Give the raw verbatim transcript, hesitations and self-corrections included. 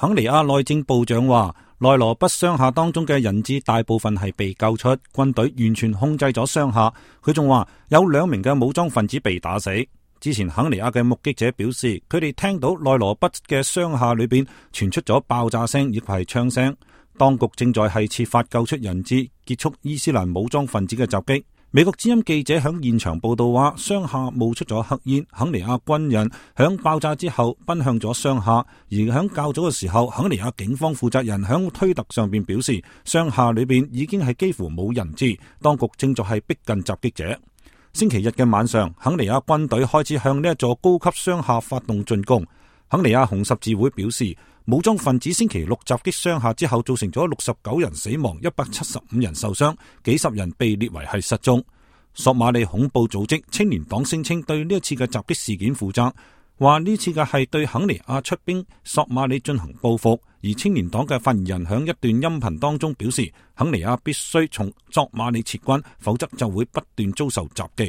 肯尼亞內政部長話，內羅畢商廈當中嘅人質大部分係被救出，軍隊完全控制咗商廈。佢仲話有兩名嘅武裝分子被打死。之前肯尼亞嘅目擊者表示，佢哋聽到內羅畢嘅商廈裏邊傳出咗爆炸聲，亦係槍聲。當局正在係設法救出人質，結束伊斯蘭武裝分子嘅襲擊。美國之音記者響現場報道話，商廈冒出咗黑煙，肯尼亞軍人響爆炸之後奔向咗商廈，而響較早嘅時候，肯尼亞警方負責人響推特上邊表示，商廈裏邊已經係幾乎冇人質，當局正在係逼近襲擊者。星期日嘅晚上，肯尼亞軍隊開始向呢一座高級商廈發動進攻。肯尼亞紅十字會表示，武裝分子星期六襲擊商廈之後，造成咗六十九人死亡，一百七十五人受傷，幾十人被列為係失蹤。索馬里恐怖組織青年黨聲稱對呢一次嘅襲擊事件負責，話呢次嘅係對肯尼亞出兵索馬里進行報復。而青年黨嘅發言人響一段音頻當中表示，肯尼亞必須從索馬里撤軍，否則就會不斷遭受襲擊。